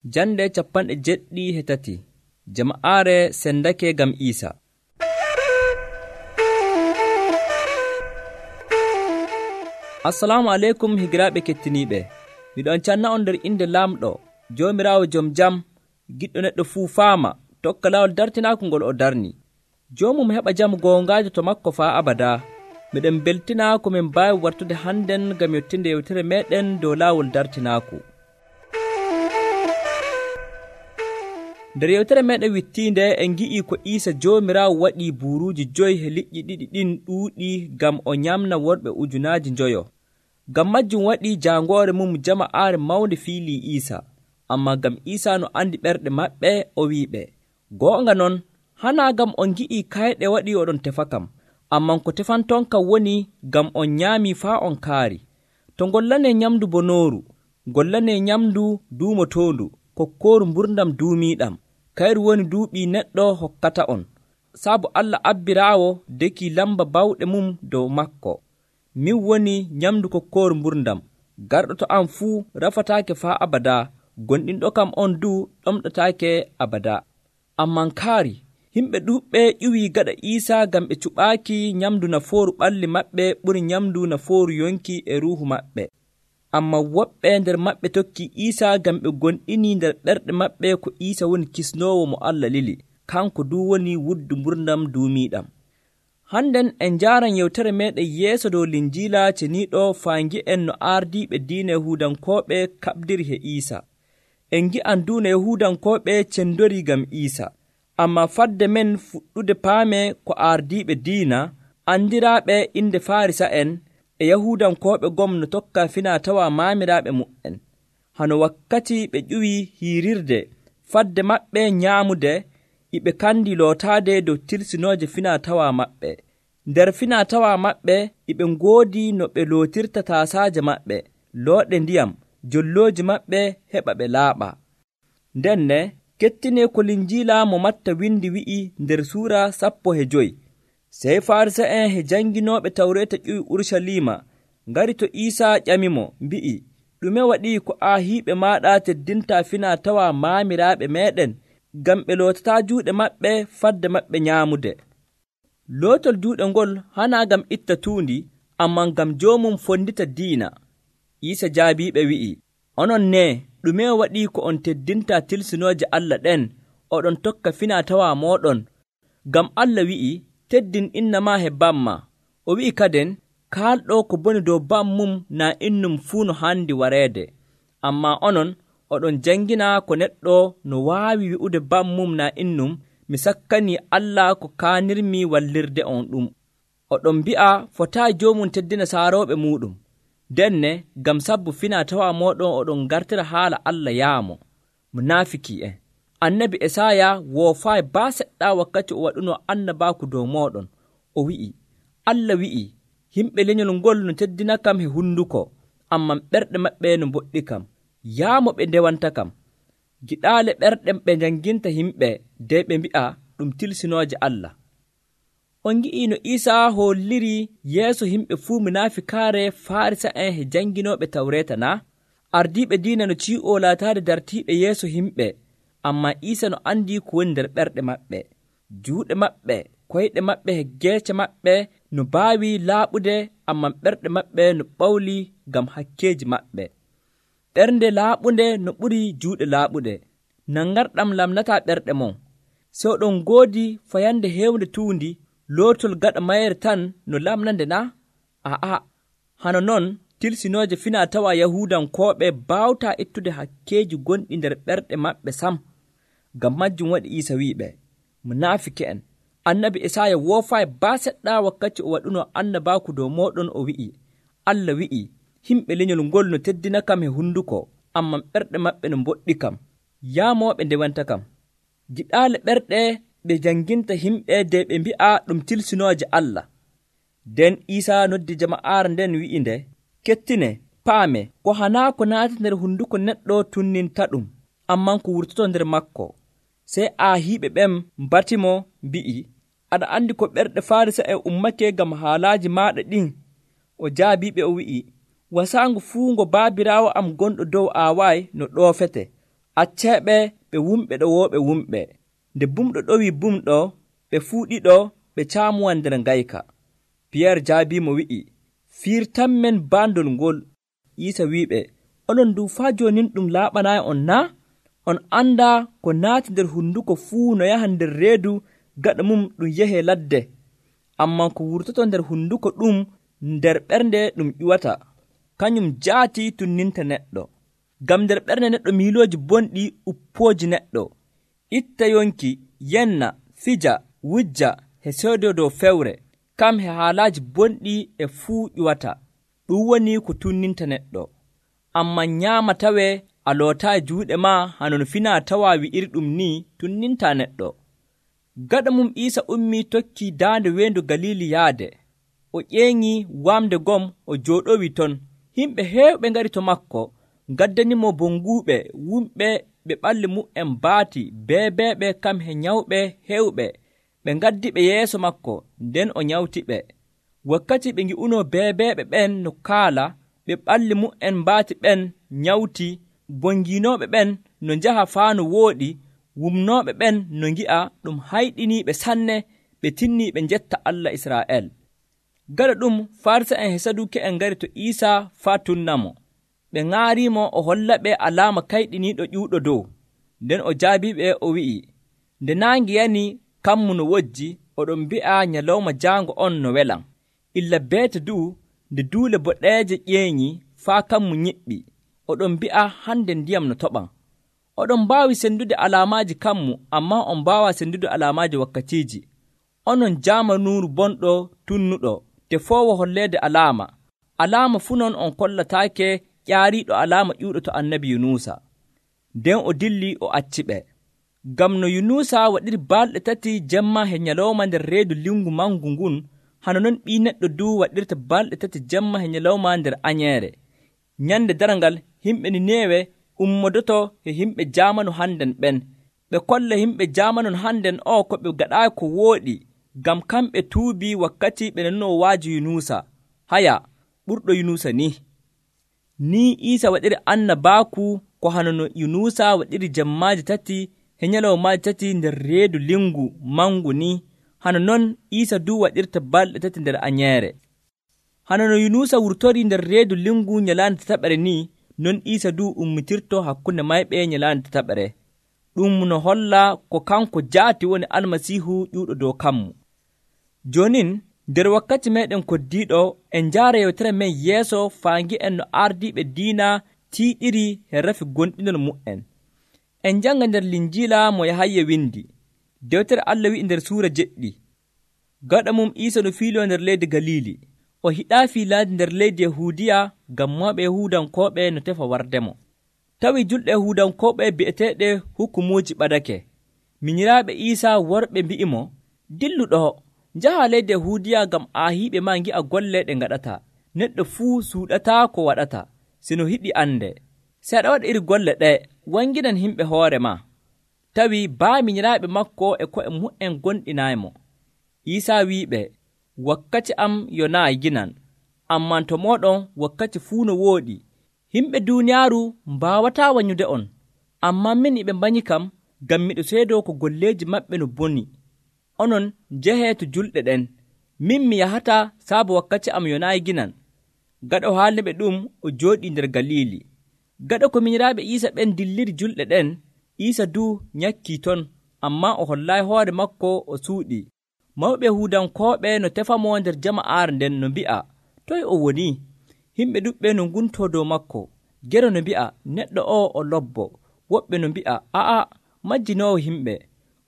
Jande 73 jama'aare sendake gam Isa. Assalamu alaikum higiraaɓe kettiniiɓe. Miɗon canna on nder inde Laamɗo, Joomiraawo jom jam, giɗɗo neɗɗo fuu faama, tokka laawol dartinaako ngol o darni. Joomum heɓa jam goongaajo to makko faa abada. Miɗen beltina ko min mbaawi wartude hannden ngam yottinde yewtere meeɗen dow laawol dartinaaku. Nder yewtere meeɗen wittiinde en ngi'ii ko Iisa Joomiraawo waɗii buuruuji 5 he liƴƴi ɗiɗi ɗin ɗuuɗi ngam o nyamna worɓe 5,000. Ngam majjum waɗii jaangoore mum jama'aare mawnde fiilii Iisa. Ammaa ngam Iisa no andi ɓerɗe maɓɓe o wi'iɓe, goonga non, hanaa ngam on ngi'ii kayɗe waɗii oɗon tefa kam, ammaa ko tefanton kam woni ngam on nyaamii faa on kaari. To ngollanee nyamndu bonooru, ngollanee nyamndu duumotoondu, kokkooru mburdam duumiiɗam. Kayru woni duuɓii neɗɗo hokkata on, saabu Allah abbiraawo dekii lamba bawɗe mum dow makko. Min woni nyamndu kokkooru mburdam. Garɗo to am fuu rafataake faa abada, gonɗinɗo kam on du ɗomɗotaake abada. Amman kaari, himɓe ɗuuɓɓe ƴuwii gaɗa Iisa ngam ɓe cuɓaaki nyamndu nafooru ɓalli maɓɓe ɓuri nyamndu nafooru yonki e ruuhu maɓɓe. Ammaa woɓɓe nder maɓɓe tokkii Iisa ngam ɓe gonɗinii nder ɓerɗe maɓɓe ko Iisa woni kisnoowo mo Allah lili, kanko du woni wuddu mburdam duumiiɗam. Hannden en njaaran yewtere meeɗen yeeso dow Linjiila ceniiɗo faa ngi'en no aardiiɓe diina Yahuudankooɓe kaɓdiri he Iisa. En ngi'an du no Yahuudankooɓe cendorii ngam Iisa. Ammaa fadde men fuɗɗude paame ko aardiiɓe diina andiraaɓe inde Faarisa'en e Yahuudankooɓe gom no tokka finaa-tawaa maamiraaɓe mu'en. Hano wakkati ɓe ƴuwii hiirirde fadde maɓɓe nyaamude, iɓe kandi lootaade dow tirsinooje finaa-tawaa maɓɓe. Nder finaa-tawaa maɓɓe iɓe ngoodi no ɓe lootirta taasaaje maɓɓe, looɗe ndiyam, jollooji maɓɓe heɓa ɓe laaɓa. Ndenne kettinee ko Linjiila mo Matta windi wi'i nder suura 15. Sey Faarisa'en he janginooɓe Tawreeta ƴuwi Urucaliima ngari to Iisa ƴamimo mbi'i, ɗume waɗii ko aahiiɓe maaɗa teddintaa finaa-tawaa maamiraaɓe meeɗen ngam ɓe lootataa juuɗe maɓɓe fadde maɓɓe nyaamude? Lootol juuɗe ngol hanaa ngam itta tuundi, ammaa ngam joomum fondita diina. Iisa jaabiiɓe wi'i, onon nee, ɗume waɗii ko on teddintaa tilsinooje Allah ɗen, oɗon tokka finaa-tawaa mooɗon? Ngam Allah wi'i, teddin inna maa he bamma. O wi'i kaden, kaalɗo ko boni dow bammum naa innum fuu no handi wareede. Ammaa onon, oɗon jangina ko neɗɗo no waawi wi'ude bammum naa innum, mi sakkanii Allah ko kaanirmi wallirde on ɗum. Oɗon mbi'a fotaa joomum teddina saarooɓe muuɗum. Denne, ngam sabbu finaa-tawaa mooɗon oɗon ngartira haala Allah yaamo. Munaafiki'en. Annabi Esaaya woofaayi baa seɗɗa wakkati o waɗunoo annabaaku dow mooɗon. O wi'i, Allah wi'i, himɓe lenyol ngol no teddina kam he hunduko, amman ɓerɗe maɓɓe no mboɗɗi kam. Yaamo ɓe ndewanta kam. Giɗaale ɓerɗe ɓe janginta himɓe dey ɓe mbi'a ɗum tilsinooje Allah. On ngi'ii no Iisa holliri yeeso himɓe fuu munaafikaare Faarisa'en he janginooɓe Tawreeta na? Ardiiɓe diina no cii'oo laataade dartiiɓe yeeso himɓe, ammaa Iisa no andi ko woni nder ɓerɗe maɓɓe. Juuɗe maɓɓe, koyɗe maɓɓe he geece maɓɓe no baawi laaɓude, ammaa ɓerɗe maɓɓe no ɓawli ngam hakkeeji maɓɓe. Ɓernde laaɓunde no ɓuri juuɗe laaɓude. Nangarɗam lamnataa ɓerɗe mon. So ɗon ngoodi fayande heewnde tuundi, lootol gaɗa mayre tan no lamnande na? Aa, hano non tilsinooje finaa-tawaa Yahuudankooɓe baawtaa ittude hakkeeji gonɗi nder ɓerɗe maɓɓe sam. Ngam majjum waɗi Iisa wi'iɓe, munaafiki'en. Annabi Esaaya woofaayi baa seɗɗa wakkati o waɗunoo annabaaku dow mooɗon o wi'i, Allah wi'i, himɓe lenyol ngol no teddina kam he hunduko, amman ɓerɗe maɓɓe no mboɗɗi kam. Yaamooɓe ndewanta kam. Giɗaale ɓerɗe ɓe janginta himɓe dey ɓe mbi'a ɗum tilsinooje Allah. Nden Iisa noddi jama'aare nden wi'inde, kettine, paame, ko hanaa ko naati nder hunduko neɗɗo tunninta ɗum, amman ko wurtoto nder makko. Sey aahiiɓe ɓen mbatimo mbi'i, aɗa andi ko ɓerɗe Faarisa'en ummake ngam haalaaji maaɗa ɗin? O jaabiiɓe o wi'i, wasaango fuu ngo baabiraawo am gonɗo dow aawaayi no ɗoofete. acceeɓe ɓe wumɓe ɗo wooɓe wumɓe. Nde bumɗo ɗowi bumɗo, ɓe fuu ɗiɗo ɓe caamuwan nder ngayka. Piyerre jaabiimo wi'i, fiirtanmen baandol ngol. Iisa wi'iɓe, onon du faa joonin ɗum laaɓanaayi on naa? On andaa ko naati nder hunduko fuu no yaha nder reedu, gaɗa mum ɗum yehee ladde. Ammaa ko wurtoto nder hunduko ɗum nder ɓernde ɗum ƴuwata, kañum jaati tunninta neɗɗo. Ngam nder ɓernde neɗɗo miilooji bonɗi uppooji neɗɗo. Itta yonki, yenna, fija, wujja, he soodo dow fewre, kam he haalaaji bonɗi e fuu ƴuwata. Ɗum woni ko tunninta neɗɗo. Ammaa nyaama tawee a lootaayi juuɗe maa hanon finaa tawaa wi'iri ɗum ni tunnintaa neɗɗo. Gaɗa mum Iisa ummii tokkii daande weendu Galiili yaade. O ƴeeŋii waamde gom o jooɗowi ton. Himɓe heewɓe ngari to makko, ngaddanimo bonguuɓe, wumɓe ɓe ɓalli mu'en baati, beebeeɓe kam he nyawɓe heewɓe. Ɓe ngaddi ɓe yeeso makko, nden o nyawtiɓe. Wakkati ɓe ngi'unoo beebeeɓe ɓen no kaala, ɓe ɓalli mu'en baati ɓen nyawti, bongiinooɓe ɓen no njaha faa no wooɗi, wumnooɓe ɓen no ngi'a, ɗum hayɗiniiɓe sanne, ɓe tinnii ɓe njetta Allah Israa'el. Gaɗa ɗum Farisa'en e Saduki'en ngari to Iisa faa tunnamo. Ɓe ŋaariimo o hollaɓe alaama kayɗiniiɗo ƴuuɗo dow. Nden o jaabiiɓe o wi'i, nde naange yani kammu no wojji, oɗon mbi'a nyalawma jaango on no welan. Illa beete du nde duule boɗeeje ƴeeŋi faa kammu nyiɓɓi, oɗon mbi'a hande ndiyam no toɓan. Oɗon mbaawi sendude alaamaaji kammu, ammaa on mbaawaa sendude alaamaaji wakkatiiji. Onon jaamanuuru bonɗo tunnuɗo, tefoowo holleede alaama. Alaama fuu non on kollataake ƴaariiɗo alaama ƴuuɗo to annabi Yunusa. Nden o dilli o acciɓe. Ngam no Yunusa waɗiri balɗe 3 jemma he nyalawma nder reedu lingu mangu ngun, hano non Ɓii Neɗɗo du waɗirta balɗe 3 jemma he nyalawma nder añeere. Nyande darangal himɓe Ninewe ummodoto he himɓe jaamanu hannden ɓen. Ɓe kolla himɓe jaamanu hannden o ko ɓe gaɗaayi ko wooɗi, ngam kamɓe tuubii wakkati ɓe nanoo waaji Yunusa. Haya, ɓurɗo Yunusa ni. Ni Iisa waɗiri annabaaku ko hano no Yunusa waɗiri jemmaaji 3 he nyalawmaaji 3 nder reedu lingu mangu ni, hano non Iisa du waɗirta balɗe 3 nder añeere. Hano no Yunusa wurtori nder reedu lingu nyalaande tataɓere ni, non Iisa du ummitirto hakkunde mayɓe nyalaande tataɓere. Ɗum no holla ko kanko jaati woni Almasiihu ƴuuɗo dow kammu. Jonin nder wakkati meɗen koddiiɗo en njaara yewtere men yeeso faa ngi'en no ardiiɓe diina tiiɗiri he rafi gonɗinol mu'en. En njanga nder Linjiila mo Yahaya windi. Dewtere Allah wi'i nder suura 7, gaɗa mum Iisa no fiiloo nder leydi Galiili. O hiɗaa fiilaade nder leydi Yahuudiya ngam mawɓe Yahuudankooɓe no tefa wardemo. Tawi julɗe Yahuudankooɓe bi'eteeɗe hukumuuji ɓadake. Minyiraaɓe Iisa worɓe mbi'imo, dillu ɗo, njaha leydi Yahuudiya ngam aahiiɓe maa ngi'a golle ɗe ngaɗata. Neɗɗo fuu suuɗataa ko waɗata, sino hiɗi ande. Se aɗa waɗa iri golle ɗe, wanginan himɓe hoore maa. Tawi baaminyiraaɓe makko e ko'e mu'en gonɗinaaymo. Iisa wi'iɓe, wakkati am yonaayi ginan, ammaa to mooɗon wakkati fuu no wooɗi. Himɓe duuniyaaru mbaawataa wanyude on, ammaa min e ɓe mbanyi kam, ngam miɗo seedoo ko golleeji maɓɓe no boni. Onon njehee to julɗe ɗen, min mi yahata saabu wakkati am yonaayi ginan. Gaɗa o haalniɓe ɗum, o jooɗii nder Galiili. Gaɗa ko minyiraaɓe Iisa ɓen dilliri julɗe ɗen, Iisa du nyakkii ton, ammaa o hollaayi hoore makko o suuɗi. Mawɓe Yahuudankooɓe no tefamo nder jama'aare nden no mbi'a, toye o woni? Himɓe ɗuɓɓe no nguntoo dow makko. Gero no mbi'a, neɗɗo o lobbo. Woɓɓe no mbi'a, a'a, majjinoowo himɓe.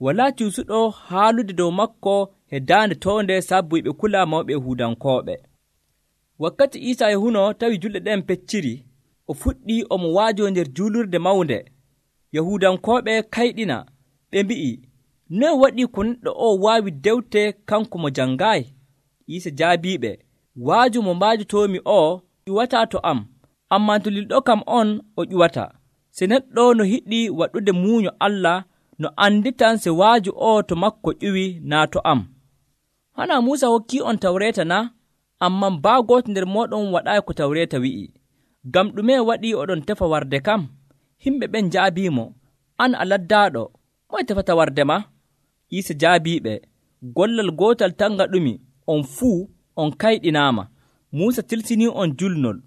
Walaa cuusuɗo haalude dow makko he daande toonde sabbu ɓe kula mawɓe Yahuudankooɓe. Wakkati Iisa yahuno tawi julɗe ɗen pecciri, o fuɗɗi omo waajoo nder juulurde mawnde. Yahuudankooɓe kayɗina, ɓe mbi'i, noye waɗi ko neɗɗo o waawi dewte kanko mo janngaayi? Iisa jaabiiɓe, waaju mo mbaajotoomi o ƴuwataa to am, ammaa to lilɗo kam on o ƴuwata. Se neɗɗo no hiɗi waɗude muuño Allah, no anditan se waaju o to makko ƴuwi naa to am. Hana Muusa hokkii on Tawreeta na? Ammaa baa gooto nder mooɗon waɗaayi ko Tawreeta wi'i. Ngam ɗume waɗi oɗon tefa warde kam? Himɓe ɓen njaabiimo, an a laddaaɗo, moye tefata wardema? Iisa jaabiiɓe, gollal gootal tan ngaɗumi, on fuu on kayɗinaama. Muusa tilsinii on julnol,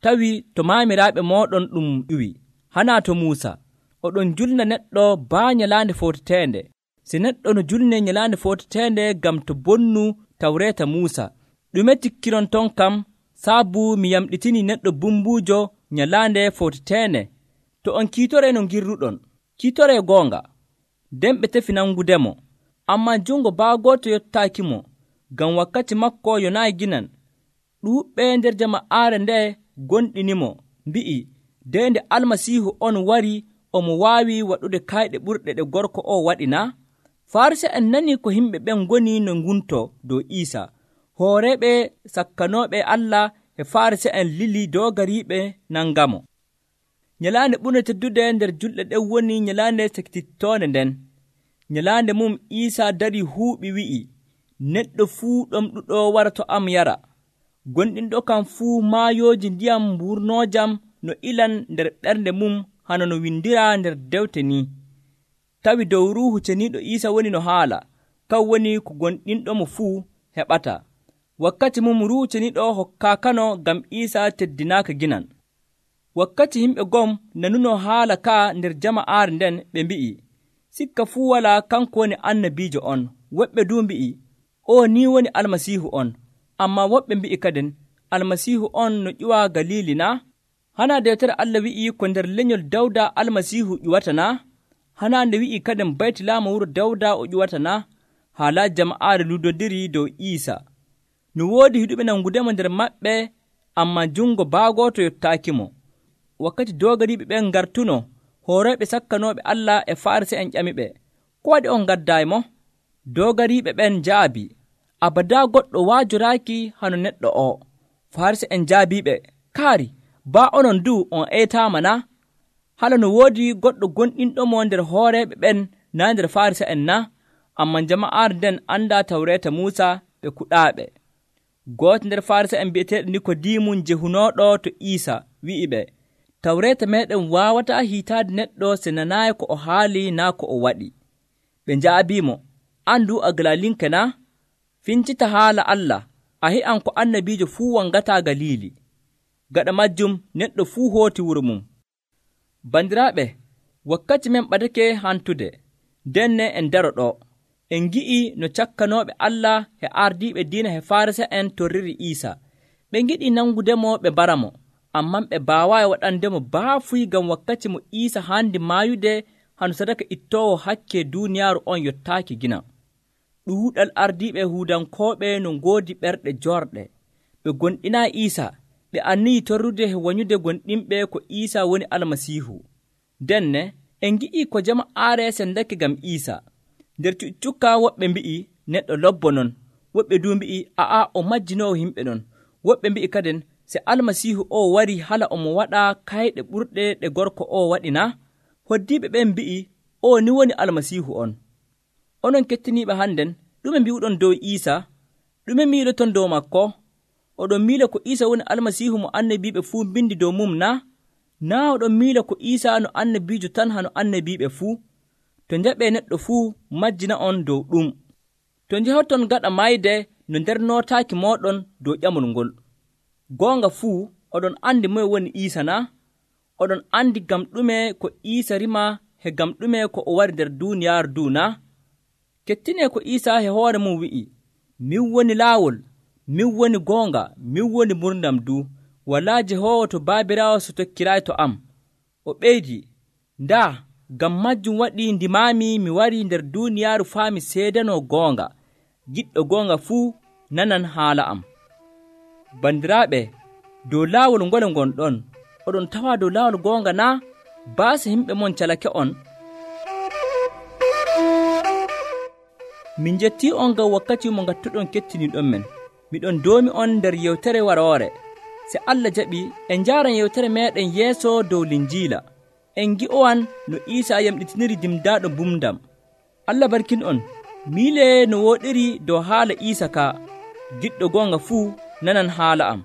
tawi to maamiraaɓe mooɗon ɗum ƴuwi. Hanaa to Muusa, oɗon julna neɗɗo baa nyalaande footeteende. Si neɗɗo no julnee nyalaande footeteende ngam to bonnu Tawreeta Muusa, ɗume tikkinon ton kam saabu mi yamɗitinii neɗɗo bumbuujo nyalaande footeteende? To on kiitoree no ngirruɗon, kiitoree goonga. Nden ɓe tefi nangudemo, ammaa jungo baagooto yottaakimo, ngam wakkati makko yonaayi ginan. Ɗuuɓɓe nder jama'aare nde gonɗinimo, mbi'i, nde nde Almasiihu on wari, omo waawi waɗude kayɗe ɓurɗe ɗe gorko o waɗi na? Farisi'en nanii ko yimɓe ɓen ngoni no nguntoo dow Iisa. Hooreeɓe sakkanooɓe Allah e Farisi'en lili doogariiɓe nangamo. Nyalaande ɓurde teddude nder julɗe ɗen woni nyalaande sakitittoonde nden. Nyalaande mum Iisa darii huuɓi wi'i, neɗɗo fuu ɗomɗuɗo wara to am yara. Gonɗinɗo kam fuu maayooji ndiyam mburnoojam no ilan nder ɓernde mum hano no windiraa nder dewte ni. Tawi dow Ruuhu Ceniiɗo Iisa woni no haala, kan woni ko gonɗinɗomo fuu heɓata. Wakkati mum Ruuhu Ceniiɗo hokkaakano ngam Iisa teddinaaka ginan. Wakkati yimɓe gom nanuno haala ka nder jama'aare nden, ɓe mbi'i, sikka fuu walaa kanko woni annabiijo on. Woɓɓe du mbi'i, o ni woni Almasiihu on. Ammaa woɓɓe mbi'i kadin, Almasiihu on no ƴuwa Galiili na? Hanaa dewtere Allah wi'i ko nder lenyol Dawda Almasiihu ƴuwata na? Hanaa nde wi'i kadin Baytulaama wuro Dawda o ƴuwata na? Haalaaji jama'aare luudodiri dow Iisa. No woodi hiɗuɓe nangudemo nder maɓɓe, ammaa jungo baagooto yottaakimo. Wakkati doogariiɓe ɓen ngartuno, hooreeɓe sakkanooɓe Allah e Farisi'en ƴamiɓe, ko waɗi on ngaddaymo? Doogariiɓe ɓen jaabi, abadaa goɗɗo waajoraaki hano neɗɗo o. Farisi'en jaabiiɓe, kaari, baa onon du on eytaama na? Hala no woodi goɗɗo gonɗinɗomo nder hooreeɓe ɓen naa nder Farisi'en na? Ammaa jama'aare nden andaa Tawreeta Muusa ɓe kuɗaaɓe. Gooto nder Farisi'en bi'eteeɗo Nikodiimu jehunooɗo to Iisa wi'iɓe, Tawreeta meeɗen waawataa hiitaade neɗɗo se nanaayi ko o haali naa ko o waɗi. Ɓe njaabiimo, an du a Galiilinke na? Fincita haala Allah, a hi'an ko annabiijo fuu wangataa Galiili. Gaɗa majjum neɗɗo fuu hooti wuro mum. Bandiraaɓe, wakkati men ɓadake hantude, denne en daro ɗo. En ngi'i no cakkanooɓe Allah e ardiiɓe diina he Farisi'en torriri Iisa. Ɓe ngiɗi nangudemo ɓe mbaramo, ammaa ɓe baawaayi waɗandemo baafuy ngam wakkati mo Iisa haandi maayude hano sadaka ittoowo hakke duuniyaaru on yottaaki gina. Ɗuuɗal ardiiɓe Yahuudankooɓe no ngoodi ɓerɗe joorɗe. Ɓe gonɗinaayi Iisa, ɓe anniyi torrude he wanyude gonɗinɓe ko Iisa woni Almasiihu. Denne, en ngi'i ko jama'aare sendake ngam Iisa. Nder cuccukka woɓɓe mbi'i neɗɗo lobbo non, woɓɓe du mbi'i aa o majjinoowo yimɓe non, woɓɓe mbi'i kadin se Almasiihu o wari hala omo waɗa kayɗe ɓurɗe ɗe gorko o waɗi na? Hoddiiɓe ɓen mbi'i o ni woni Almasiihu on. Onon kettiniiɓe hannden, ɗume mbi'uɗon dow Iisa? Ɗume miiloton dow makko? Oɗon miila ko Iisa woni Almasiihu mo annabiiɓe fuu mbindi dow mum na? Naa oɗon miila ko Iisa no annabiijo tan hano annabiiɓe fuu? To njaɓee neɗɗo fuu majjina on dow ɗum. To njehorton gaɗa mayde no nder nootaaki mooɗon dow ƴamol ngol. Goonga fuu oɗon andi moye woni Iisa na? Oɗon andi gam ɗume ko Iisa rima he gam ɗume ko o wari nder duuniyaaru du na? Kettine ko Iisa he hoore mum wi'i, min woni laawol, min woni goonga, min woni murdam du. Walaa Jehoowo to baabiraawo so tokkiraayi to am. O ɓeydi, ndaa ngam majjum waɗi ndimaami mi wari nder duuniyaaru faa mi seedanoo goonga. Giɗɗo goonga fuu nanan haala am. Bandiraaɓe, dow laawol ngole ngonɗon, oɗon tawa dow laawol goonga na? Baasa yimɓe mon calake on. Min jettii on ngam wakkati mo ngattuɗon kettiniiɗon men. Miɗon doomi on nder yewtere waroore. Se Allah jaɓi, en njaaran yewtere meeɗen yeeso dow Linjiila. En ngi'owan no Iisa yamɗitiniri dimdaaɗo bumdam. Allah barkin on, miile no wooɗiri dow haala Iisa ka. Giɗɗo goonga fuu nanan haala am.